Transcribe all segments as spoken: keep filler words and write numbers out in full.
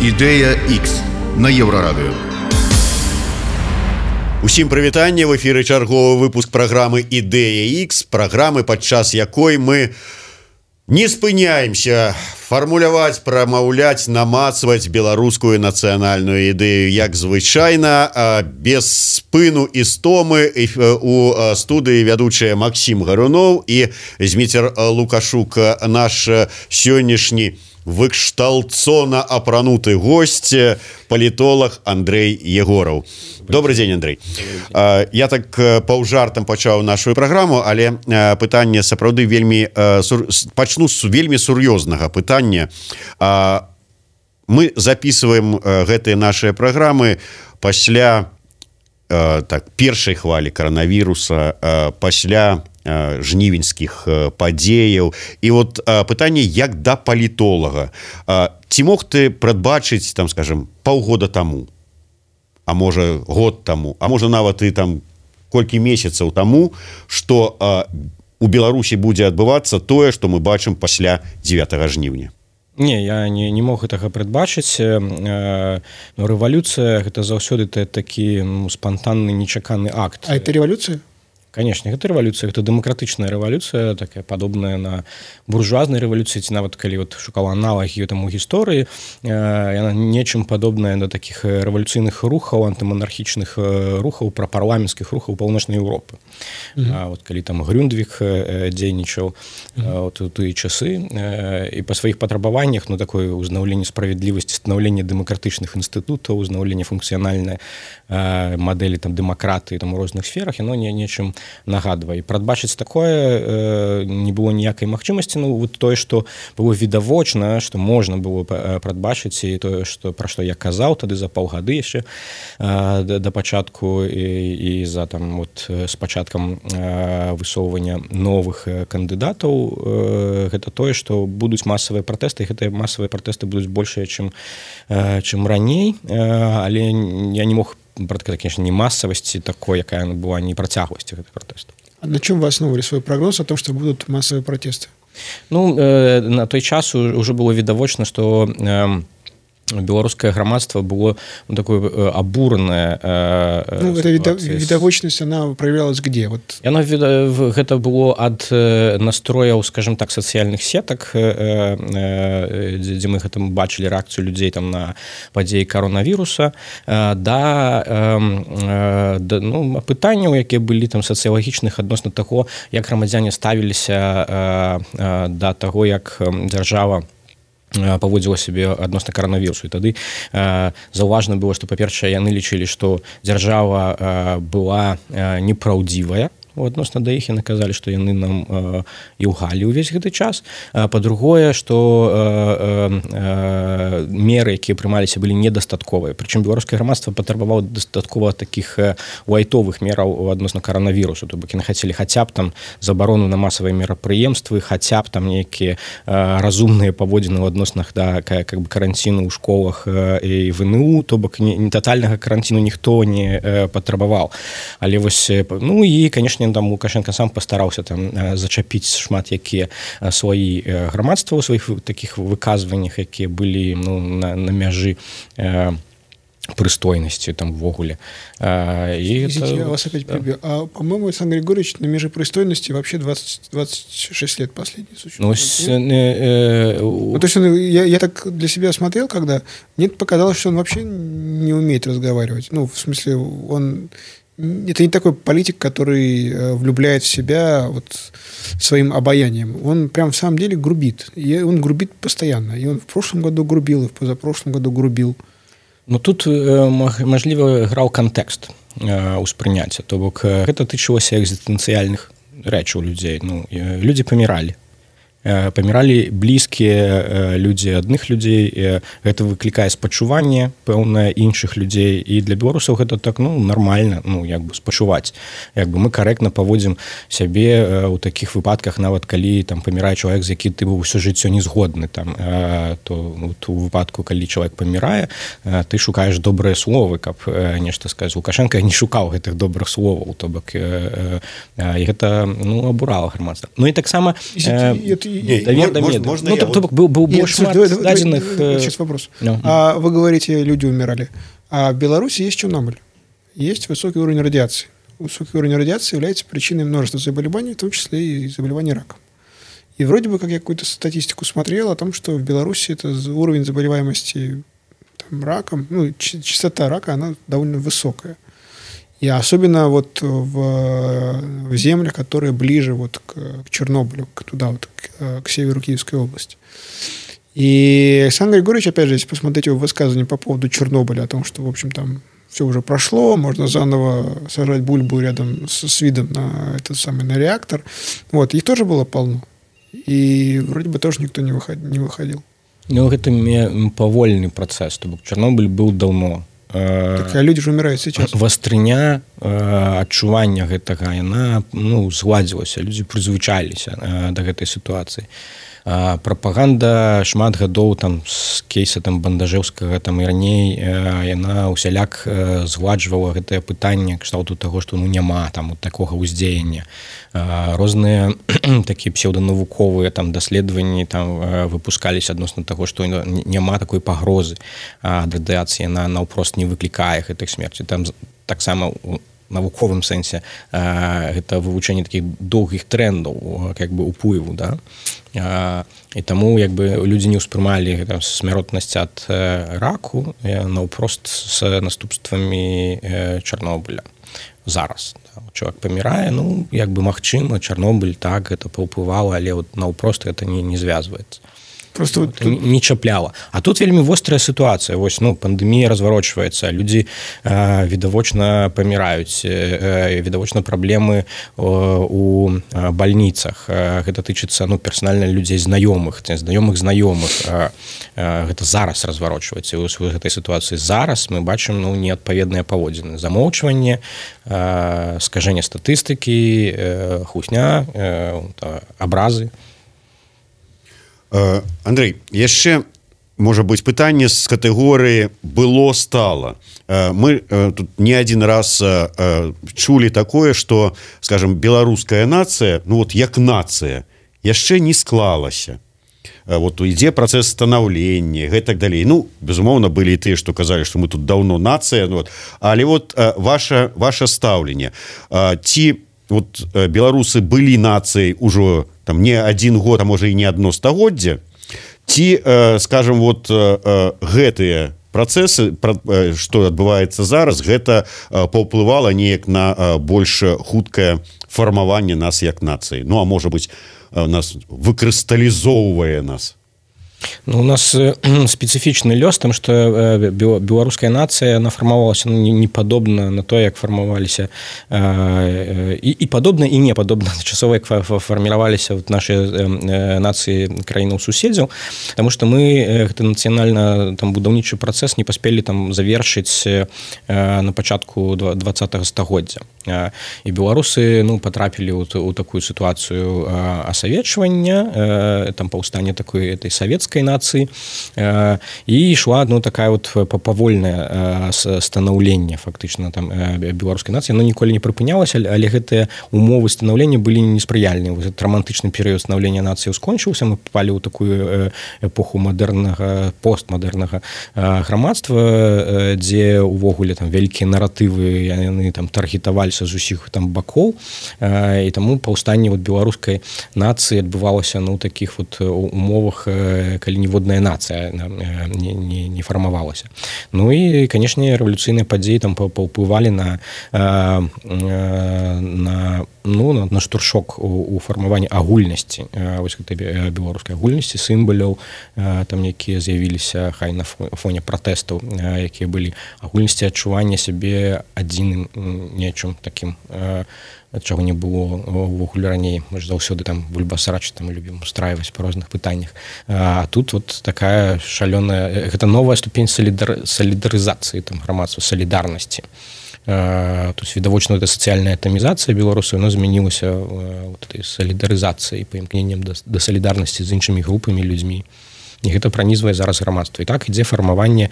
Ідэя Х на Еўрарадыё. Усім прывітанне, в эфіры чарговы выпуск праграмы «Ідэя Х», праграмы, падчас якой мы не спыняемся фармуляваць, прамаўляць, намацваць беларускую нацыянальную ідэю, як звычайна, без спыну і стомы. У студыі вядучыя Максім Гаруноў і Зміцер Лукашук, наш сённяшні выкшталцона апрануты госць, палітолог Андрэй Егораў. Добрый день, Андрей. Я так паўжартам пачаў нашу праграму, але пытанне сапраўды вельмі пачну з вельмі сур'ёзнага пытання. Мы записываем гэтыя нашыя праграмы пасля так першай хвалі каранавіруса, пасля жнівеньскіх падзеяў. І вот пытанне як да палітолага. Ці мог ты прадбачыць, там, скажем, паўгода таму, а можа год таму, а можа нават і там колькі месяцаў таму, што у Беларусі будзе адбывацца тое, што мы бачым пасля дзевятага жніўня? Не, я не, не мог гэтага прадбачыць. Рэвалюцыя гэта заўсёды такі ну, спантанны, нечаканы акт. А это рэвалюцыя? Конечно, гэта рэвалюцыя, гэта дэмакратычная рэвалюцыя, такая падобная на буржуазнай рэвалюцыі, ці нават калі вот шукала аналагі там у гісторыі, яна нечым падобная на такіх рэвалюцыйных рухаў, антыманархічных рухаў, прапарламенцкіх рухаў паўночнай Еўропы. Mm-hmm. Вот калі там Грюндвік дзейнічаў mm-hmm. вот, у тыя часы, і па сваіх патрабаваннях, ну такое ўзнаўленне справядлівасці, станаўленне дэмакратычных інстытутаў, узнаўленне функцыянальнай мадэлі там дэмакратыі там у розных сферах, яно не нечым нагадвае. Прадбачыць такое э, не было ніякай магчымасці. Ну вот тое, што было відавочна, што можна было прадбачыць, і тое, што пра што я казаў тады за паўгады яшчэ э, да, да пачатку і, і за там вот з пачаткам э, высоўвання новых кандыдатаў, э, гэта тое, што будуць масавыя пратэсты, і гэтыя масавыя пратэсты будуць большыя, чым, э, чым раней, э, але я не мог прадказаць, конечно, не массовости такой, якая она была, не працягласці гэтых пратэстаў. А на чем вы основывали свой прогноз о том, что будут массовые протесты? Ну, э, на той час уже было відавочна, что э, беларускае грамадства было ну, такое абуранае. Э, ну, эта відавочнасць, она проявлялась где? Вот. Яно, гэта было ад настрояў, скажем так, сацыяльных сетак, э, э, дзе мы гэта бачылі рэакцыю людзей там на падзеі каронавіруса, э, да, э, да ну, пытанняў, якія былі там сацыялагічных адносна таго, як грамадзяне ставіліся э, э, да таго, як дзяржава паводзіла сябе адносна каранавірусу. І тады э, заўважна было, што, па-першае, яны лічылі, што дзяржава э, была э, непраўдзівая, адносна да іх, яны казалі, што яны нам э, і ўгалі ўвесь гэты час. А, па-другое, што э, э, меры, якія прымаліся, былі недастатковыя. Прычым беларускае грамадства патрабавала дастаткова такіх э, лайтовых мераў адносна каранавірусу. То бок яны хацелі хаця б там забарону на масавыя мерапрыемствы, хаця б там нейкія э, разумныя паводзіны ў адноснах да как бы каранціну ў школах э, і в эн у, то бок не, не татальнага каранціну ніхто не э, патрабаваў. Але вось, ну і, канешне, там Лукашенко сам пастараўся там зачапіць шмат якія сваі грамадства ў сваіх такіх выказваннях, якія былі ну, на, на мяжы э, прыстойнасці там ввогуле. Э, Извините, я вас опять прибью. Да. А, по-моему, Александр Григорьевич на мяжи прыстойности вообще двадцать, двадцать шесть лет последний случай. Ну, с, э, э, ну, то есть он, я, я так для себя смотрел, когда мне показалось, что он вообще не умеет разговаривать. Ну, в смысле, он... Это не такой политик, который влюбляет в себя вот своим обаянием. Он прям в самом деле грубит. И он грубит постоянно. И он в прошлом году грубил, и в позапрошлом году грубил. Ну, тут, можливо, граў кантэкст успрыняцця. То бок, гэта тычылася экзістэнцыяльных рэчаў людзей. Ну, людзі паміралі. Паміралі блізкія людзі адных людзей, гэта выклікае спачуванне пэўнае іншых людзей, і для беларусаў гэта так ну нармальна, ну як бы спачуваць, як бы мы карэктна паводзім сябе ў такіх выпадках, нават калі там памірае чалавек, з які ты быў усё жыццё не згодны, там то у выпадку, калі чалавек памірае, ты шукаеш добрыя словы, каб нешта сказаць. Лукашенко не шукаў гэтых добрых словаў, то бок і гэта ну абурала грамадства. Ну і таксама давер да меду. Можно ну, я то, вот... был, был Нет, шмат давай, давай, дадзеных... давай, сейчас вопрос. No. А вы говорите, люди умирали. А в Беларуси есть Чернобыль. Есть высокий уровень радиации. Высокий уровень радиации является причиной множества заболеваний, в том числе и заболеваний раком. И вроде бы, как я какую-то статистику смотрел о том, что в Беларуси это уровень заболеваемости там, раком, ну, частота рака, она довольно высокая. И особенно вот в, в землях, которые ближе вот к, к Чернобылю, к, туда, вот, к, к северу Киевской области. И Александр Григорьевич, опять же, если посмотреть его высказывание по поводу Чернобыля, о том, что, в общем, там все уже прошло, можно заново сажать бульбу рядом с, с видом на этот самый на реактор. Вот, их тоже было полно. И вроде бы тоже никто не выходил. Не выходил. Ну, это павольны працэс, то бок Чорнобыль быў даўно. Так, а люди ж умирают сейчас. Вастрыня адчування гэтага яна ну згладзілася, людзі прызвычаіліся да гэтай сітуацыі. Прапаганда шмат гадоў там з кейса там бандажэўскага там і раней яна усяляк згладжвала гэтае пытанне кшталту таго, што ну няма там вот такога ўздзеяння. Розныя такія псеўданавуковыя там даследаванні там выпускаліся адносна таго, што няма такой пагрозы ад радыяцыі, яна наўпрост не выклікае гэтых смерці. Там таксама у навуковым сэнсе гэта вывучэнне такіх доўгіх трэндаў как бы уплыву, да. І таму як бы людзі не ўспрымалі смяротнасць ад раку наўпрост з наступствамі Чарнобыля зараз. Чалавек памірае, ну як бы магчыма, Чарнобыль так гэта паўплывала, але вот наўпрост гэта не, не звязваецца. Просто вот тут... не чапляла. А тут вельмі вострая сітуацыя. Вось, ну, пандэмія разварочваецца, людзі э, відавочна паміраюць, э, відавочна праблемы э, у бальніцах. Э, гэта тычыцца ну, персанальна людзей знаёмых, знаёмых знаёмых. Э, э, гэта зараз разварочваецца. І ў гэтай сітуацыі зараз мы бачым ну, неадпаведныя паводзіны. Замоўчванне, э, скажэнне статыстыкі, э, хусня, э, абразы. Андрей, яшчэ можа быць пытанне з катэгорыі было стала. Мы тут не адзін раз чулі такое, што скажем беларуская нацыя, ну вот як нацыя яшчэ не склалася. Вот ідзе працэс станаўлення, гэтак далей. Ну, безумоўна, былі і тыя, што казалі, што мы тут даўно нацыя, ну, вот. Але вот ваша, ваша стаўленне. Ці вот беларусы былі нацыяй ужо там не один год, а можа і не одно стагоддзе, ці, э, скажем, вот э, гэтыя працэсы, э, што адбываецца зараз, гэта э, паўплывала неяк на э, больш хуткае фармаванне нас як нацыі. Ну, а можа быць, э, нас выкрысталізоўвае нас. Ну, у нас специфічны лёс, там што беларуская нацыя нафармавалася ну, не падобна на то, як фармаваліся і, і падобна і не падобна часова, як фарміраваліся вот, нашы нацыі краінаў суседзяў, таму што мы гэты нацыянальна там будаўнічы працэс не паспелі там завершыць на пачатку двадцатага стагоддзя. І беларусы ну, патрапілі ў, ў такую сітуацыю асавечвання, там паўстання такой этой савецкай нацыі э, і ішла ну, такая вот павольнае э, станаўленне фактычна там э, беларускай нацыі, но ніколі не прыпынялася, але гэтыя умовы станаўлення былі неспрыяльныя. Этот романтычны перыяд станаўлення нацыі скончыўся, мы папалі ў такую эпоху мадэрнага постмадэрнага э, грамадства, э, дзе увогуле там вялікія наратывы яны там таргетаваліся з усіх там бакоў, э, і таму паўстанне вот, беларускай нацыі адбывалася ну, такіх вот умовах э, калі ніводная нацыя не, не, не фармавалася. Ну і, канешне, рэвалюцыйныя падзеі там паўплывалі на, на, ну, на штуршок у, у фармаванні агульнасці, вось гэтай беларускай агульнасці, сімваляў, там якія з'явіліся хай на фоне пратэстаў, якія былі агульнасці адчування сябе адзіным нечым такім, чаго не было ўвогуле раней. Мы ж заўсёды там бульбасарач там любім устраиваць па розных пытаннях. А тут вот такая шалёная, гэта новая ступень солидар, солидарызацыі там грамадства, солідарнасці. То есть відавочна эта сацыяльная атамізацыя беларусаў, яна змянілася вот этой солідарызацыяй, паімкненнем да, да солідарнасці з іншымі групамі людзьмі. І гэта пранізвае зараз грамадства. І так ідзе фармаванне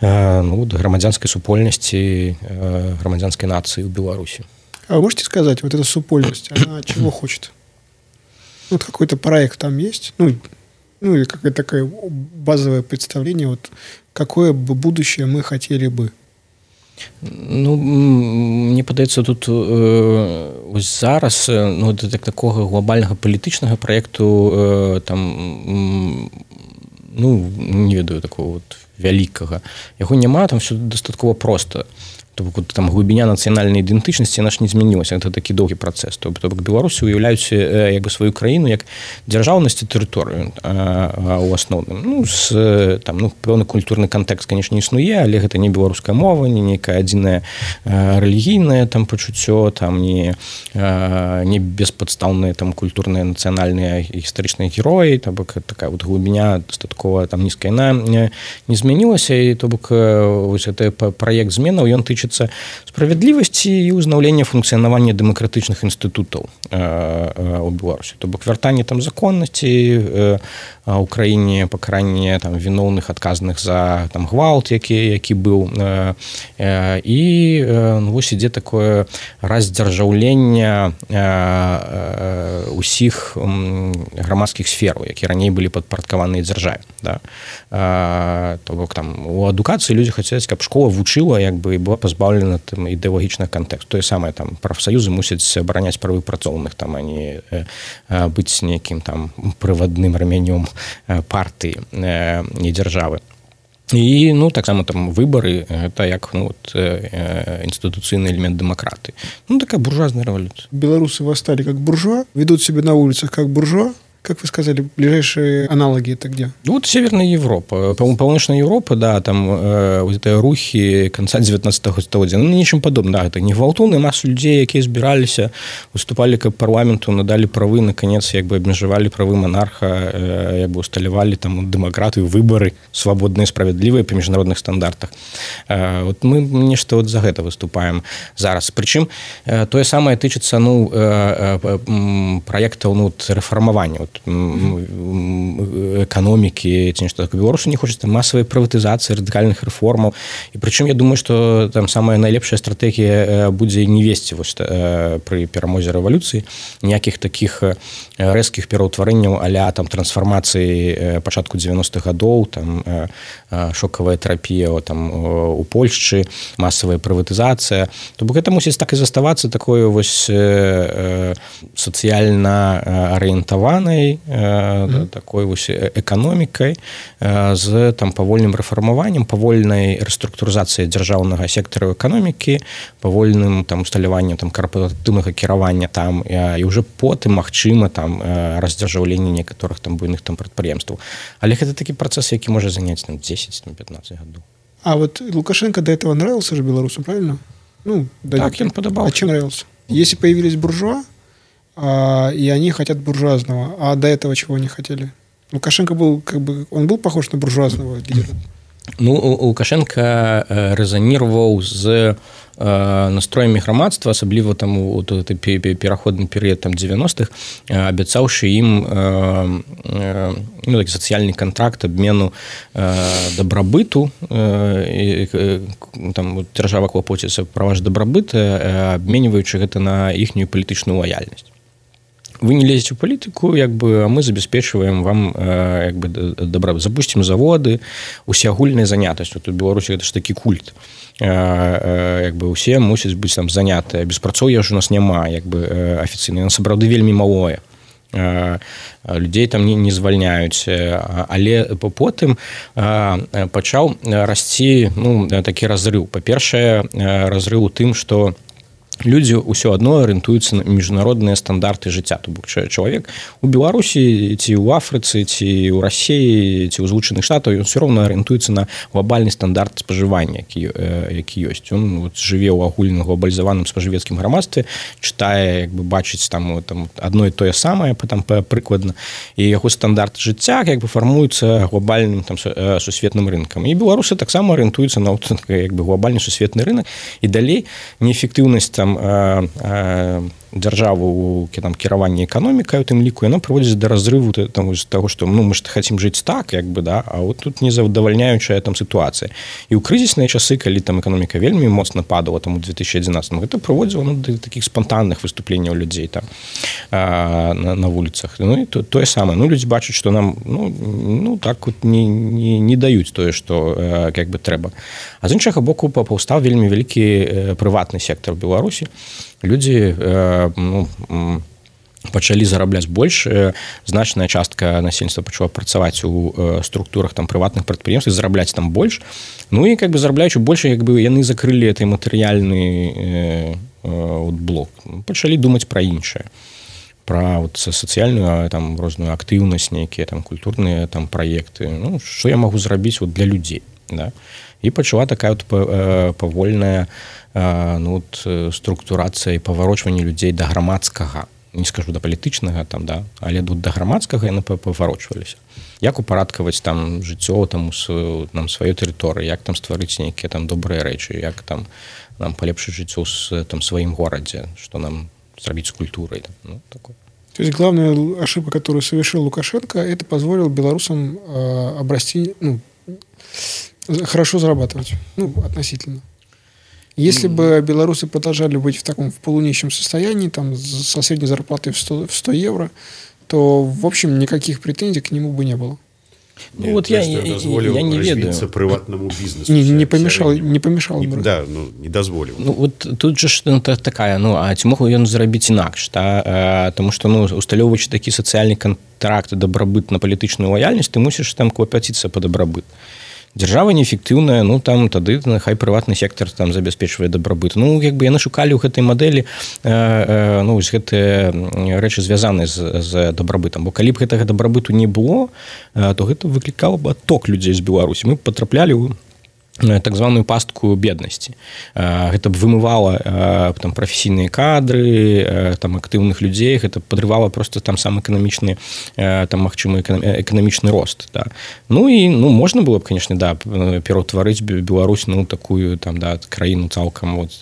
ну, грамадзянскай супольнасці, грамадзянскай нацыі ў Беларусі. А вы можете сказать, вот эта супольность, она чего хочет? Вот какой-то проект там есть? Ну, ну или какое-то такое базовое представление, вот какое бы будущее мы хотели бы? Ну, мне падаецца тут э, ось зараз ну, так, такого глобальнага палітычнага праекту э, там ну не ведаю такого вот вялікага яго няма, там все дастаткова проста. То бок там глыбіня нацыянальнай ідэнтычнасці наш не змянілася, гэта такі доўгі працэс. То бок беларусы уяўляюць як бы сваю краіну як дзяржаўнасць і тэрыторыю у асноўным. Ну з там ну пэўны культурны кантэкст, канешне, існуе, але гэта не беларуская мова, не нейкая адзіная рэлігійнае там пачуццё, там не не беспадстаўныя там культурныя нацыянальныя гістарычныя героі, то бок такая вот глыбіня дастаткова там нізкая, яна не змянілася, і то бок вось гэты праект зменаў ён тычыцца справядлівасці і ўзнаўлення функцыянавання дэмакратычных інстытутаў у Беларусі. То бок вяртанне там законнасці у краіне, пакаранне там віноўных адказных за там гвалт, які які быў, і ну, вось ідзе такое раздзяржаўленне усіх грамадскіх сфераў, якія раней былі падпарадкаваныя дзяржаве. Да? То бок там у адукацыі людзі хацяць, каб школа вучыла, як бы і была пазбаўлена там ідэалагічных кантэкст. Тое самае там прафсаюзы мусяць абараняць правы працоўных, там а не быць нейкім там прывадным рамянём партыі і дзяржавы. І ну таксама там выбары гэта як ну вот інстытуцыйны элемент дэмакраты. Ну такая буржуазная рэвалюцыя. Белорусы восстали как буржуа, ведут себя на улицах как буржуа. Как вы сказали, ближайшие аналоги это где? Ну, вот Северная Европа. Полночная Европа, да, там э, вот это рухи конца девятнадцатого столетия. Ну, ничем подобным, да, это не гвалтоўны, массу людей, якія збіраліся, выступали к парламенту, надали правы, наконец, як бы абмежавалі правы монарха, э, як бы усталявалі там дэмакратыю, выборы свабодныя, справядлівыя па міжнародных стандартах. Э, вот мы нешта вот за гэта выступаем зараз. Причым э, тое самае тычыцца, ну, э, э, праектаў, ну, рэфармавання. Вот экономики, что Беларусь не хочет массовой приватизации, радикальных реформаў. И причем я думаю, что там самая найлепшая стратегия будет не вести вот, при перамозе революции никаких таких резких пераўтварэнняў а-ля там трансформации пачатку девяностых годов, там шоковая терапия там у Польшчы, массовая приватизация. То бок это мусіць так и заставаться такой вось социально ориентованной mm-hmm. такой вось эканомікай з там павольным рэфармаваннем, павольнай рэструктурызацыяй дзяржаўнага сектару эканомікі, павольным там усталяваннем там карпаратыўнага кіравання там і ўжо потым магчыма там раздзяржаўленне некаторых там буйных там прадпрыемстваў. Але гэта такі працэс, які можа заняць там дзесяць-пятнаццаць гадоў. А вот Лукашенко до этого нравился же белорусам, правильно? Ну, так, им подобался. А чем нравился? Если появились буржуа, А, и они хотят буржуазного. А до этого чего они хотели? Лукашенко был, как бы, он был похож на буржуазного лидера? Ну, Лукашенко рэзанировал з настроямі грамадства, асабліва там у пераходны перыяд там девяностых, абяцаўшы ім ну, такі сацыяльны кантракт абмену дабрабыту, там дзяржава клапоціцца пра ваш дабрабыт, абменьваючы гэта на іхнюю палітычную лаяльнасць. Вы не лезете в политику, як бы, а мы забяспечваем вам як бы, добра. Запустим заводы, усеагульная занятасць. Вот у Беларусі гэта ж такі культ. Як бы усе мусяць быць там занятыя. Беспрацоўя ж у нас няма, як бы афіцыйна. Яно сапраўды вельмі малое. Людзей там не, не звальняюць. Але потым пачаў расці ну, такі разрыў. Па-першае, разрыў у тым, што людзі ўсё адно арыентуюцца на міжнародныя стандарты жыцця. То бок чалавек у Беларусі ці ў Афрыцы, ці ў Расіі, ці ў Злучаных Штатах, ён ўсё роўна арыентуецца на глобальны стандарт спажывання, які, які ёсць. Ён вот, жыве ў агульным глобалізаваным спажывецкім грамадстве, чытае, як бы бачыць там, там адно і тое самае, там прыкладна, і яго стандарт жыцця як бы фармуецца глобальным там сусветным рынкам. І беларусы таксама арыентуюцца на як бы глобальны сусветны рынок, і далей неэфектыўнасць там дзяржаву там кіраванне эканомікай у тым ліку, яно прыводзіць да разрыву там з таго, што ну мы ж хацім жыць так, як бы, да, а вот тут незадавальняючая там сітуацыя. І ў крызісныя часы, калі там эканоміка вельмі моцна падала там у две тысячи одиннадцатым, гэта прыводзіла ну, да такіх спантанных выступленняў людзей там а, на, на вуліцах. Ну і то, тое самае. Ну людзі бачаць, што нам ну, ну так вот не, не, не даюць тое, што як бы трэба. А з іншага боку паўстаў вельмі вялікі прыватны сектор Беларусі. Людзі ну, пачалі зарабляць больш, значная частка насельніцтва пачала працаваць у структурах там прыватных прадпрыемстваў, зарабляць там больш. Ну і как бы зарабляючы больш, як бы яны закрылі гэты матэрыяльны блок. Пачалі думаць пра іншае. Пра вот сацыяльную там розную актыўнасць, нейкія там культурныя там праекты. Ну, што я магу зрабіць вот для людзей, да? І пачала такая вот павольная ну, вот, структурацыя і паварочванне людзей да грамадскага, не скажу да палітычнага там, да, але тут да грамадскага яны паварочваліся. Як упарадкаваць там жыццё там у нам сваёй тэрыторыі, як там стварыць нейкія там добрыя рэчы, як там нам палепшыць жыццё ў там сваім горадзе, што нам зрабіць з культурай, ну, такое. То есть главная ошибка, которую совершил Лукашенко, это позволило белорусам э, обрасти, ну, хорошо зарабатывать, ну, относительно. Если mm. бы белорусы продолжали быть в таком в полунищем состоянии, там, со средней зарплатой в сто, в сто евро, то, в общем, никаких претензий к нему бы не было. Ну, вот я, я, я не ведаю. Приватному бизнесу. Не, не помешал, не помешал не, да, ну, не дозволил. Ну, вот тут же ну, такая, ну, а ці мог ён зрабіць інакш, та? А, тому что, ну, усталёўваючы такі сацыяльны контракт і дабрабыт на палітычную лаяльнасць, ты мусіш там клапаціцца па дабрабыт. Дзяржава неэфектыўная, ну там тады хай прыватны сектор там забяспечвае дабрабыт. Ну як бы яны шукалі ў гэтай мадэлі э, э, ну вось гэтыя рэчы звязаныя з, з дабрабытам. Бо калі б гэтага дабрабыту не было, э, то гэта выклікала б адток людзей з Беларусі. Мы патраплялі ў так званую пастку беднасці. Гэта б вымывала там прафесійныя кадры, там актыўных людзей, гэта падрывала просто там сам эканамічны там магчымы эканамічны рост, да. Ну і ну можна было б, конечно, да, пераўтварыць Беларусь ну такую там да краіну цалкам вот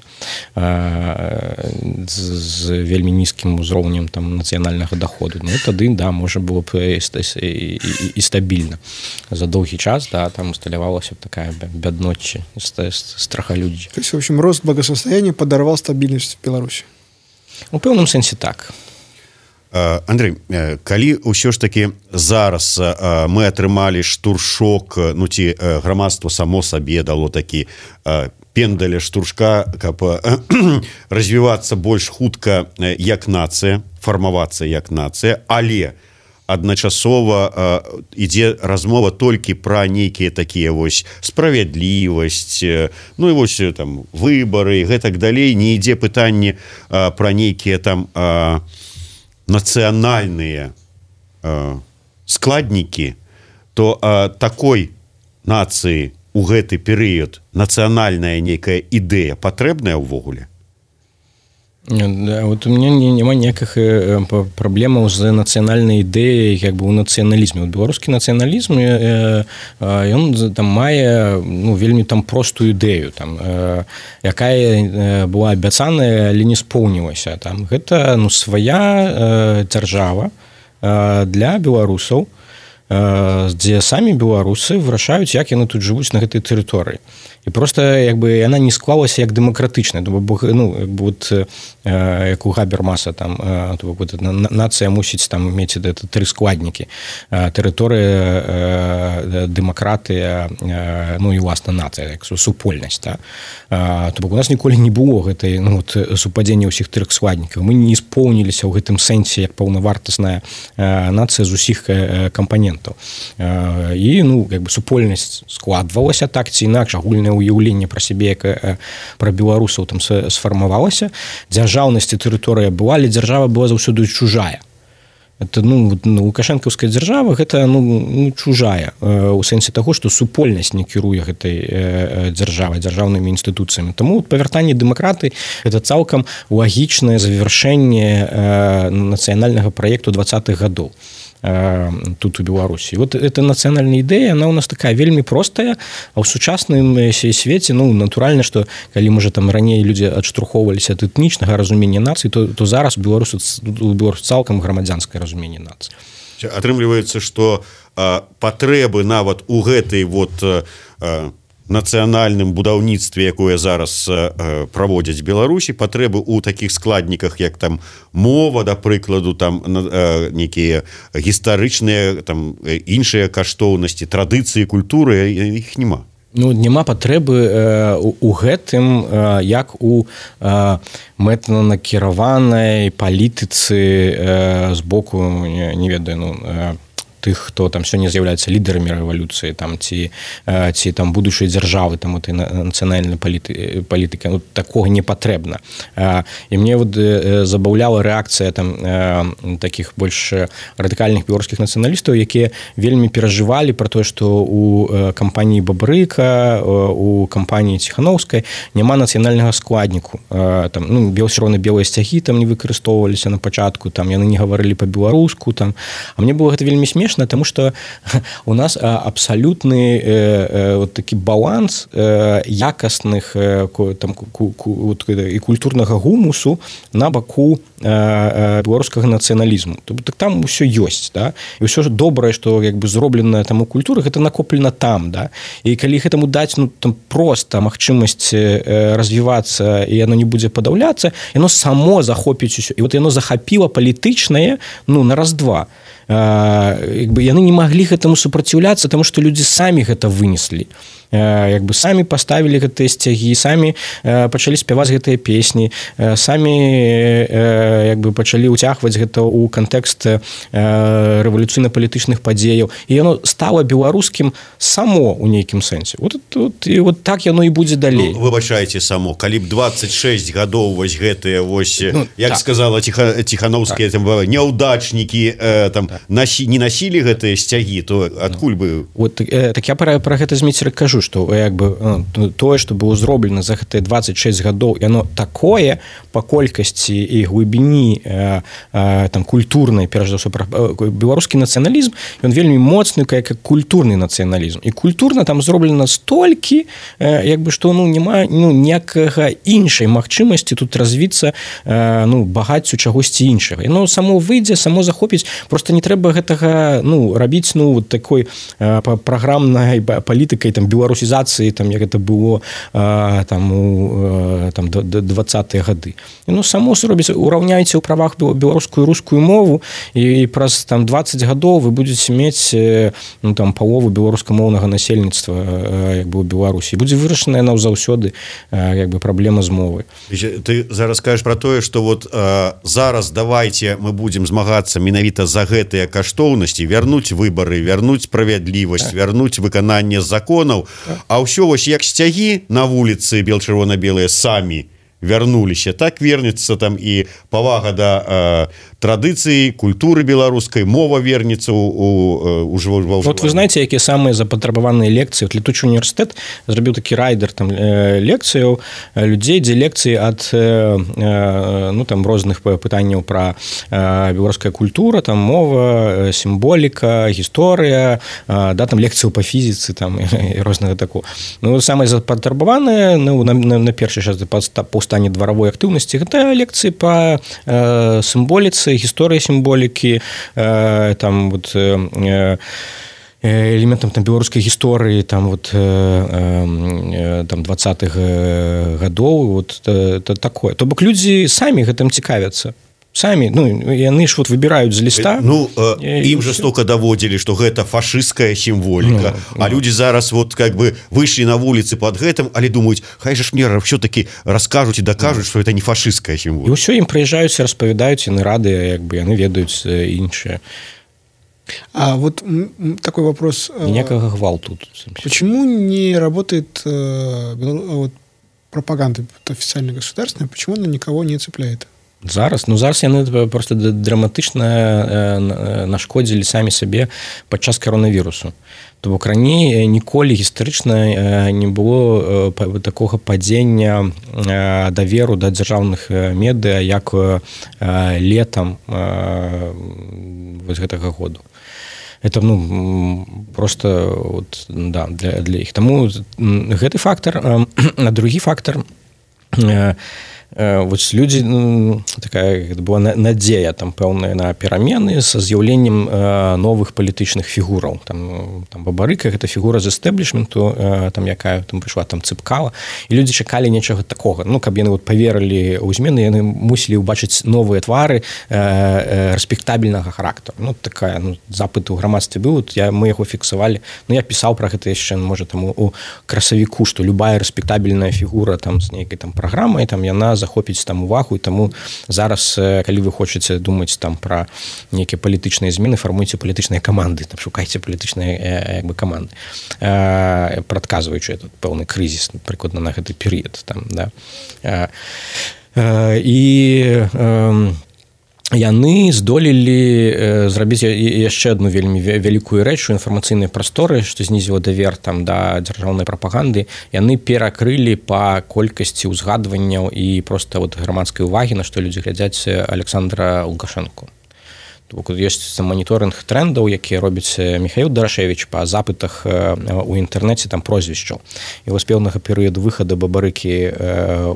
з, з вельмі нізкім узроўнем там нацыянальнага доходу. Ну тады да можа было б і, і, і, і стабільна. За доўгі час да там усталявалася б такая бядная ночи, страхолюдие. То есть, в общем, рост благосостояния подорвал стабильность в Беларуси? У пэўным сэнсе так. Андрей, калі ўсё ж таки зараз мы атрымалі штуршок, ну ці грамадства само сабе дало такі пендаля штуршка, каб развівацца больш хутка як нацыя, фармавацца як нацыя, але адначасова ідзе размова толькі пра нейкія такія вось справядлівасць, ну і вось там выбары, гэтак далей, не ідзе пытанне пра нейкія там нацыянальныя складнікі, то такой нацыі у гэты перыяд нацыянальная нейкая ідэя патрэбная ўвогуле? Да, вот у меня няма ніякіх праблемаў з нацыянальнай ідэяй як бы у нацыяналізме. Беларускі нацыяналізм ён там мае ну, вельмі там простую ідэю там, якая была абяцаная, але не споўнілася там. Гэта ну, свая дзяржава для беларусаў, дзе самі беларусы вырашаюць, як яны тут жывуць на гэтай тэрыторыі. І просто як бы яна не склалася як дэмакратычная, бо ну як бы вот як у Габермаса там вот, нацыя мусіць там мець это тры складнікі: тэрыторыя, дэмакратыя, ну і власна нацыя, як супольнасць, да? То бок у нас ніколі не было гэтай ну вот супадзення ўсіх трох складнікаў. Мы не споўніліся ў гэтым сэнсе як паўнавартасная нацыя з усіх кампанентаў. І ну як бы супольнасць складвалася так ці інакш, агульная уяўленне пра сябе, як пра беларусаў там сфармавалася. Дзяржаўнасць і тэрыторыя была, але дзяржава была заўсёды чужая. Это ну лукашэнкаўская дзяржава гэта ну, ну чужая у сэнсе таго, што супольнасць не кіруе гэтай дзяржавай, дзяржаўнымі інстытуцыямі. Таму павяртанне дэмакраты гэта цалкам лагічнае завяршэнне нацыянальнага праекту двадцатых гадоў. тут у Беларусі. Вот эта нацыянальная ідэя, она у нас такая вельмі простая, а ў сучасным свеце, ну, натуральна, што калі можа там раней людзі адштурхоўваліся ад этнічнага разумення нацыі, то, то зараз беларусу беларус цалкам грамадзянскае разуменне нацыі. Атрымліваецца, што патрэбы нават у гэтай вот нацыянальным будаўніцтве, якое зараз э, праводзяць Беларусі, патрэбы ў такіх складніках, як там мова, да прыкладу, там э, нейкія гістарычныя, там іншыя каштоўнасці, традыцыі, культуры, іх няма. Ну, няма патрэбы э, у, у гэтым, э, як у э, мэтанакіраванай палітыцы э, з боку, не, не ведаю, ну, э, тых, хто там сёння з'яўляецца лідарамі рэвалюцыі, там ці ці там будучай дзяржавы, там этой нацыянальнай паліты, палітыкі, ну, такога не патрэбна. І мне вот забаўляла рэакцыя там такіх больш радыкальных беларускіх нацыяналістаў, якія вельмі перажывалі пра тое, што у кампаніі Бабрыка, у кампаніі Ціханаўскай няма нацыянальнага складніку. Там, ну, чырвона-белыя сцягі там не выкарыстоўваліся на пачатку, там яны не гаварылі па-беларуску, там. А мне было гэта вельмі смешна, потому что у нас абсолютный э, вот такі баланс э, якасных э, там, ку, ку, вот, і культурнага гумусу на баку э, беларускага нацыяналізму. Так там усё ёсць, да? І ўсё ж добрае, што як бы зроблена там у культуры, гэта накоплена там, да? І калі гэтаму даць, ну, там проста магчымасць э, развівацца, і яно не будзе падаўляцца, яно само захопіць усё. І вот яно захапіла палітычнае, ну, на раз-два. Як бы яны не маглі гэтаму супраціўляцца, таму што людзі самі гэта вынеслі. Як бы самі паставілі гэтыя сцягі, самі пачалі спяваць гэтыя песні, самі як бы пачалі ўцягваць гэта ў кантэкст рэвалюцыйна-палітычных падзеяў. І яно стала беларускім само ў нейкім сэнсе. Вот, вот, і вот так яно і будзе далей. Ну, выбачайце, само. Калі б двадцать шесть гадоў вось гэтыя, вось, ну, як так. сказала Ціха, Ціханаўская, так. там, няўдачнікі там, так. насі, не насілі гэтыя сцягі, то адкуль бы... Вот, так я пра, пра гэта зміцер кажу, што як бы тое, што было зроблена за гэтыя двадцать шесть гадоў, яно такое па колькасці і глыбіні э, э, там культурнай, перш за ўсё, беларускі нацыяналізм, ён вельмі моцны, як культурны нацыяналізм. І культурна там зроблена столькі, э, як бы што ну няма ну ніякага іншай магчымасці тут развіцца э, ну багаццю чагосьці іншага. Яно само выйдзе, само захопіць, просто не трэба гэтага ну рабіць ну вот такой э, праграмнай палітыкай там беларусізацыі, там як это было а, там у там двадцатыя гады. І ну само робіць, ураўняйце ў правах беларускую і рускую мову, і праз там двадцать гадоў вы будзеце мець ну там палову беларускамоўнага насельніцтва як бы у Беларусі. Будзе вырашана яна заўсёды як бы праблема з мовай. Ты зараз кажаш пра тое, што вот а, зараз давайте мы будзем змагацца менавіта за гэтыя каштоўнасці, вярнуць выбары, вярнуць справядлівасць, так. вярнуць выкананне законаў. А ўсё вось як сцягі на вуліцы бел-чырвона-белыя самі вярнуліся, так вернецца там і павага да э, традыцыі, культуры беларускай, мова вернецца у, у, у, у вот вы знаете, якія самыя запатрабаваныя лекцыі. Вот летучы універсітэт зрабіў такі райдер там э, лекцыяў людзей, дзе лекцыі ад э, э, ну там розных пытанняў пра э, беларуская культура, там мова, сімволіка, гісторыя, э, да там лекцыяў па фізіцы там і рознага такого. Ну самыя запатрабаваныя ну на, на, на першы час па стане дваравой актыўнасці гэта лекцыі па э, сімволіцы, гісторыі сімволікі, э, там вот э, элементам там беларускай гісторыі там вот э, э, там двадцатых гадоў вот э, такое. То бок людзі самі гэтым цікавяцца. Самі, ну, яны ж вот выбіраюць з ліста. Ну, э, ім жастока даводзілі, што гэта фашысцкая сімволіка. Ну, а ну. людзі зараз вот как бы выйшлі на вуліцы пад гэтым, але думаюць, хай жа ж мне ўсё-таки раскажуць і дакажуць, што ну. это не фашысцкая сімволіка. І ўсё ім прыязджаюць, распавядаюць, яны радыя, як бы яны ведаюць іншыя. А вот такой вопрос. Никакого гвалту тут. Почему не работает э, вот, пропаганда официально государственная, почему она никого не цепляет? Зараз, ну зараз яны просто драматычна нашкодзілі самі сабе падчас коронавірусу. То бок раней ніколі гістарычна не было такога падзення даверу да дзяржаўных медыа як летам вось гэтага году. Это ну просто вот, да, для, для іх. Таму гэты фактар, а другі фактар, вось людзі ну, такая была надзея там пэўная на перамены са з'яўленнем новых палітычных фігураў. Там, там Бабарыка гэта фігура з эстэблішменту, там якая там прыйшла там Цыпкала, і людзі чакалі нечага такога. Ну каб яны вот паверылі ў змены, яны мусілі ўбачыць новыя твары рэспектабельнага характару. Ну такая ну, запыт у грамадстве быў, вот, я мы яго фіксавалі. Ну я пісаў пра гэта яшчэ можа там у красавіку, што любая рэспектабельная фігура там з нейкай там праграмай, там яна захопіць там увагу, і таму зараз калі вы хочаце думаць там пра нейкія палітычныя змены, фармуйце палітычныя каманды, там шукайце палітычныя як бы каманды, прадказваючы этот пэўны крызіс прыкладна на гэты перыяд там, да. І яны здолелі зрабіць яшчэ одну вельмі вялікую рэч у інфармацыйнай прасторы, што знізіла давер там да дзяржаўнай прапаганды. Яны перакрылі па колькасці ўзгадванняў і проста вот грамадскай увагі, на што людзі глядзяць Александра Лукашэнку. Ёсць маніторынг трендаў, які робіць Михаил Дарашевич па запытах у інтэрнэце там прозвішчаў. І вось пэўнага перыяду выхаду Бабарыкі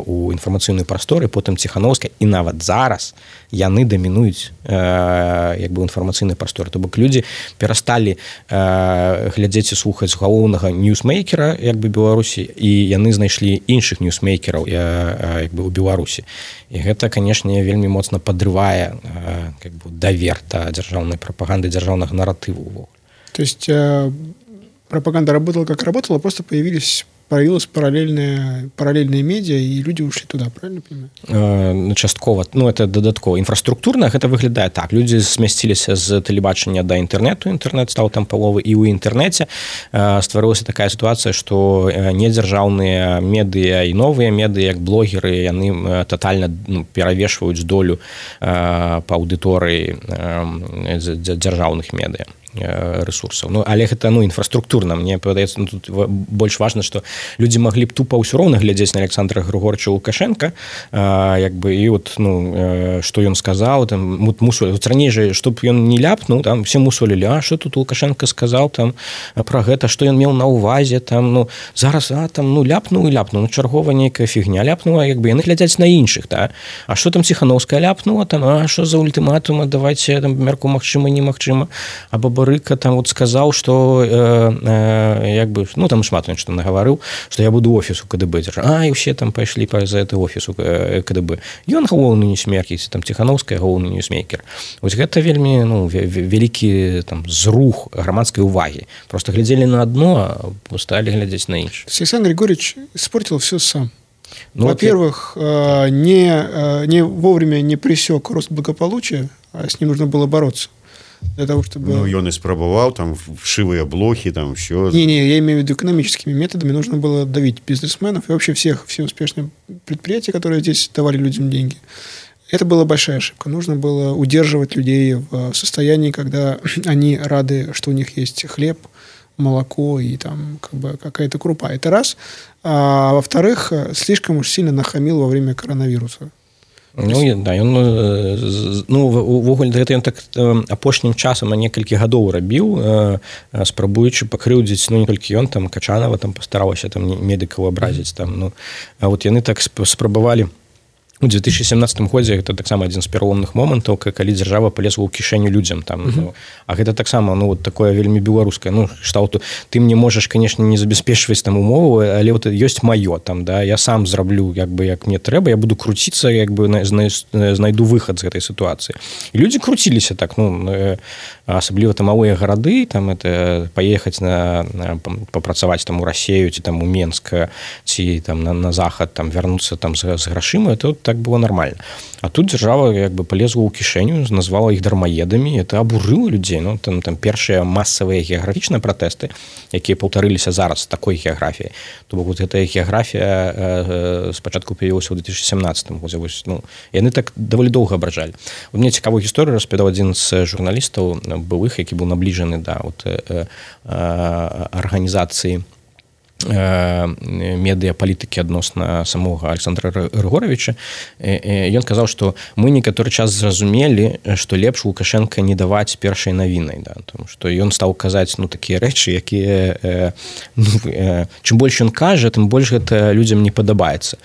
у інфармацыйную прасторы, потым Ціхановская, і нават зараз яны дамінуюць як бы інфармацыйнай прасторы. То бок людзі перасталі глядзець і слухаць галоўнага ньюсмейкера як бы Беларусі, і яны знайшлі іншых ньюсмейкераў як бы ў Беларусі. І гэта, канешне, вельмі моцна падрывае как бы давер да дзяржаўнай прапаганды, дзяржаўнага наратыву. То есть э, пропаганда работала как работала, просто появились появилась параллельная, параллельные медиа, и люди ушли туда, правильно понимаю? Э, часткова, ну, это дадаткова. Інфраструктурна гэта выглядае так. Людзі змясціліся з тэлебачання да інтэрнэту, інтэрнэт стаў там паловы, і ў інтэрнэце э, стварылася такая сітуацыя, што недзяржаўныя медыа і новыя медыа, як блогеры, яны татальна ну, перавешваюць долю э, па аўдыторыі э, дзяржаўных медыа ресурсаў. Ну, але гэта ну, інфраструктурна. Мне падаецца, ну, тут больш важна, што людзі маглі б тупа ўсё роўна глядзець на Александра Григорьевича Лукашенка, а, як бы, і от, ну, што ён сказаў, там, мусолі. Вот раней жа, што б ён не ляпнуў, там, все мусолілі, а што тут Лукашенко сказаў там, пра гэта, што ён меў на ўвазе, там, ну, зараз, а, там, ну, ляпнуў і ляпнуў, ну, чарговая нейкая фігня ляпнула, як бы, яны глядзяць на іншых, да? А што там Ціхановская ляпнула, там, а што за ультыматума, давайце, там, мярку магчыма, немагчыма, а Бабарыка там вот сказаў, што э, э, як бы, ну там шмат ён што нагаварыў, што я буду офіс у КДБ дзяржаць. А, і ўсе там пайшлі па за это офіс у КДБ. Ён галоўны ньюсмейкер, там Ціхановская галоўны ньюсмейкер. Вось гэта вельмі ну, вялікі там зрух грамадскай увагі. Просто глядзелі на адно, а сталі глядзець на інш. Александр Григорьевич испортил все сам. Ну, Во-первых, вот... не, не вовремя не пресек рост благополучия, а с ним нужно было бороться. Для того, чтобы... Ну, ён и спробовал, там, вшивые блохи, там, все. Не-не, я имею в виду экономическими методами. Нужно было давить бизнесменов и вообще всех, все успешные предприятия, которые здесь давали людям деньги. Это была большая ошибка. Нужно было удерживать людей в состоянии, когда они рады, что у них есть хлеб, молоко и там как бы какая-то крупа. Это раз. А во-вторых, слишком уж сильно нахамил во время коронавируса. Ну, да, ён, ну, увогуле, гэта ён так апошнім часам на некалькі гадоў рабіў, спрабуючы пакрыўдзіць, ну, не толькі ён, там, Качанова там пастаралася там медыкаў абразіць, там, ну, а вот яны так спрабавалі у две тысячи семнадцатым годзе, гэта таксама адзін з пераломных момантаў, калі дзяржава палезла ў кішэню людзям там, uh-huh. ну, а гэта таксама ну вот такое вельмі беларускае, ну шталту ты мне можаш, конечно, не забяспечваць там умову, але вот ёсць маё там, да, я сам зраблю як бы як мне трэба, я буду круціцца, як бы знайду выхад з гэтай сітуацыі. І людзі круціліся так, ну асабліва там малыя гарады, там это паехаць на, на папрацаваць там у Расею ці там у Менск ці там на, на захад там вярнуцца там з, з грашыма, это вот так было нормально. А тут дзяржава як бы полезла ў кішэню, назвала іх дармаедамі, это абурыла людзей. Ну, там, там першыя масавыя геаграфічныя пратэсты, якія паўтарыліся зараз такой геаграфіяй. То бок вот гэтая геаграфія э, спачатку паявілася ў две тысячи семнадцатым годзе. Ну, яны так даволі доўга абражалі. Вот мне цікавую гісторыю распавядаў адзін з журналістаў былых, які быў набліжаны да вот, э, э, арганізацыі медыапалітыкі адносна самога Александра Григоровича. Ён казаў, што мы некаторы час зразумелі, што лепш Лукашенко не даваць першай навінай, да, тому што ён стаў казаць ну такія рэчы, якія ну, чым больш ён кажа, тым больш гэта людзям не падабаецца.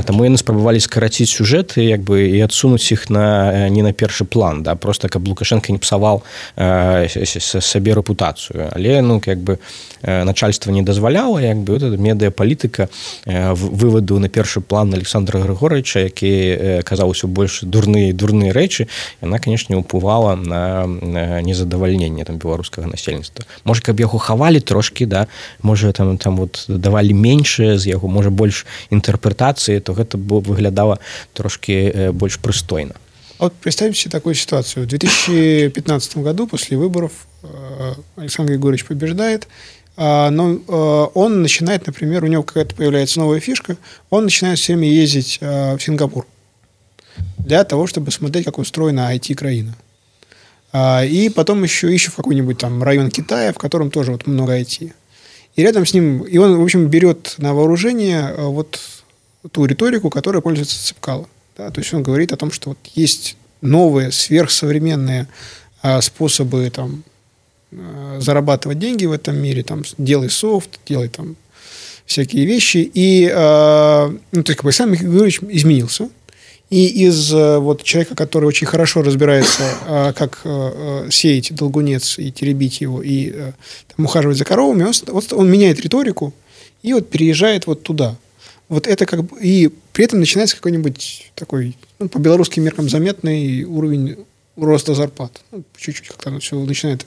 Таму яны спрабавалі скараціць сюжэты як бы і адсунуць іх на не на першы план, да, просто каб Лукашенко не псаваў сабе рэпутацыю, але ну як бы начальство не дазваляла, як бы вот медыапалітыка вываду на першы план Александра Григоровича, які казаў усё больш дурныя дурныя рэчы, яна, канешне, ўплывала на незадавальненне там беларускага насельніцтва. Можа, каб яго хавалі трошкі, да, можа там там вот давалі меншае з яго, можа больш інтэрпрэтацыі, то гэта бы выглядала трошкі больш прыстойна. Вот представьте себе такую ситуацию. В две тысячи пятнадцатом году после выборов Александр Григорьевич побеждает, но он начинает, например, у него какая-то появляется новая фишка, он начинает все время ездить в Сингапур для того, чтобы смотреть, как устроена ай ти-краина. И потом еще ищет в какой-нибудь там район Китая, в котором тоже вот много ай ти. И рядом с ним, и он, в общем, берет на вооружение вот ту риторику, которой пользуется Цепкало. Да? То есть он говорит о том, что вот есть новые сверхсовременные способы там зарабатывать деньги в этом мире, там, делай софт, делай там всякие вещи. И, э, ну, то есть, как бы, Александр Григорьевич изменился. И из э, вот человека, который очень хорошо разбирается, э, как э, сеять долгунец и теребить его, и э, там, ухаживать за коровами, он, вот, он меняет риторику и вот переезжает вот туда. Вот это как бы... И при этом начинается какой-нибудь такой, ну, по белорусским меркам, заметный уровень роста зарплат. Ну, чуть-чуть как-то оно все начинает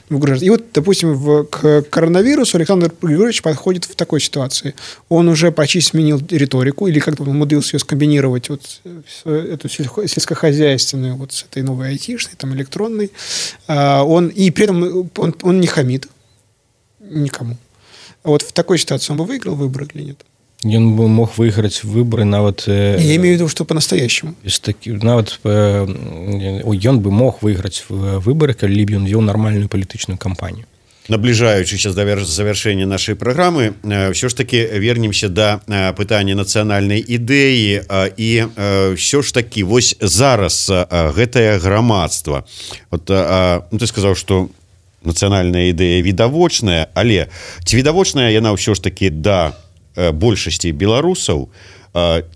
выгружаться. И вот, допустим, в, к коронавирусу Александр Григорьевич подходит в такой ситуации. Он уже почти сменил риторику, или как-то умудрился ее скомбинировать, вот эту сельскохозяйственную вот с этой новой айтишной, там, электронной. Он, и при этом он, он не хамит никому. Вот в такой ситуации он бы выиграл выборы или нет? Ён бы мог выиграць выборы нават я имею в виду, что по-настоящему такі, нават ён бы мог выиграць выборы, калі б ён вёў нармальную палітычную кампанію. Набліжаючыся да завяршэння нашай праграмы, ўсё ж таки вернемся да пытання нацыянальнай ідэі, і ўсё ж таки вось зараз гэтае грамадства, вот, ну, ты сказаў, што нацыянальная ідэя відавочная, але ці відавочная яна ўсё ж таки да большасці беларусаў,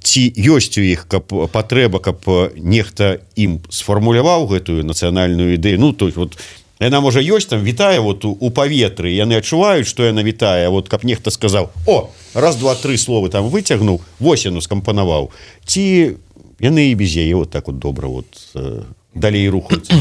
ці ёсць у іх каб патрэба, каб нехта ім сфармуляваў гэтую нацыянальную ідэю, ну то есть вот яна можа ёсць там вітае вот у, у паветры, яны адчуваюць, што яна вітае, вот каб нехта сказаў: о, раз два тры словы там выцягнуў, вось яно скампанаваў, ці яны і без яе вот так вот добра вот далей рухаюцца.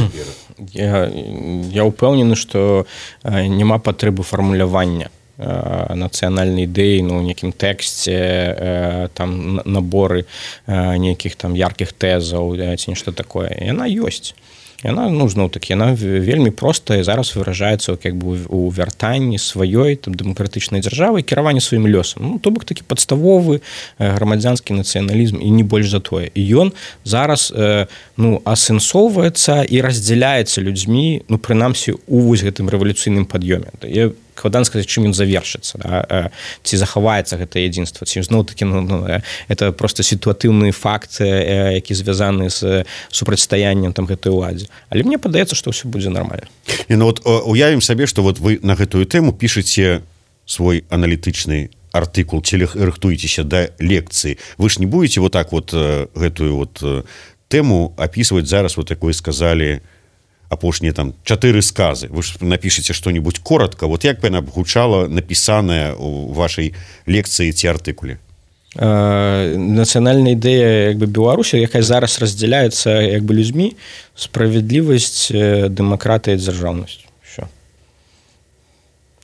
я, я ўпэўнены, што няма патрэбы фармулявання нацыянальнай ідэі, ну, у нейкім тэксце, там наборы нейкіх там яркіх тэзаў ці нешта такое. Яна ёсць. Яна, ну, зноў такі, яна вельмі простая і зараз выражаецца як бы у вяртанні сваёй там дэмакратычнай дзяржавы і кіраванні сваім лёсам. Ну, то бок такі падставовы грамадзянскі нацыяналізм і не больш за тое. І ён зараз ну, асэнсоўваецца і раздзяляецца людзьмі, ну, прынамсі, у вось гэтым рэвалюцыйным пад'ёме. Я складана сказаць, чым ён завершыцца, да? Ці захаваецца гэта адзінства, ці зноў такі, ну, ну, это просто сітуатыўны факт, які звязаны з супрацьстаяннем там гэтай уладзе. Але мне падаецца, што ўсё будзе нармальна. І ну, вот, уявім сабе, што вот вы на гэтую тэму пішаце свой аналітычны артыкул, ці рыхтуецеся да лекцыі. Вы ж не будете вот так вот гэтую вот тэму опісваць зараз, вот як вы сказалі, апошнія там чатыры сказы. Вы ж напішыце што-нибудь коротко, вот як бы яна гучала напісаная у вашай лекцыі ці артыкуле? Нацыянальная ідэя як бы Беларусі, якая зараз раздзяляецца як бы людзьмі, справядлівасць, дэмакратыя і дзяржаўнасць. Всё.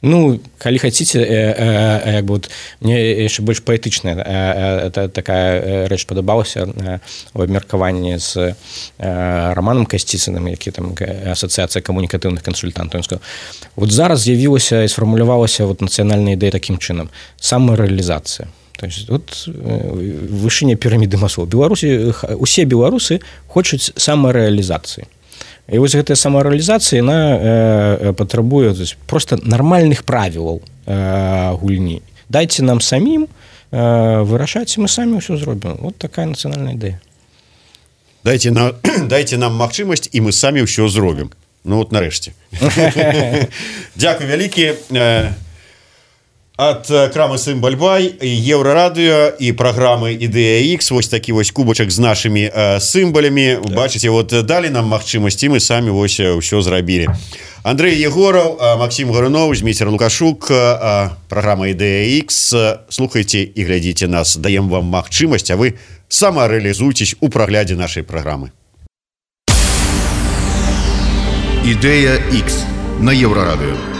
Ну, калі хаціце, э, э, як бы вот, мне яшчэ больш паэтычная э, э, такая рэч падабалася э, у абмеркаванні з э, Романом Касціцыным, які там асацыяцыя камунікатыўных кансультантаў. Ён сказаў, вот зараз з'явілася і сфармулявалася вот нацыянальная ідэя такім чынам: самарэалізацыя. То есть вот вышыня піраміды Маслоу. Беларусі, усе беларусы хочуць самарэалізацыі. І вось гэтая самарэалізацыя, яна э, патрабуе просто нармальных правілаў э, гульні. Дайце нам самім э, вырашаць, мы самі ўсё зробім. Вот такая нацыянальная ідэя. Дайце, на, дайце нам магчымасць, і мы самі ўсё зробім. Ну вот нарэшце. Дзякуй вялікі. Ад крамы Сімбаль-Бай, Еўрарадыё і праграмы «Ідэя Х». Вось такі вось кубачак з нашымі э, сімбалямі. Да. Бачыце, вот далі нам магчымасці, мы самі вось ўсё зрабілі. Андрэй Егораў, Максім Гаруноў, Зміцер Лукашук, праграма «Ідэя Х». Слухайце і глядзіце нас. Даем вам магчымасць, а вы самарэалізуйцесь у праглядзе нашай праграмы. «Ідэя Х» на Еўрарадыё.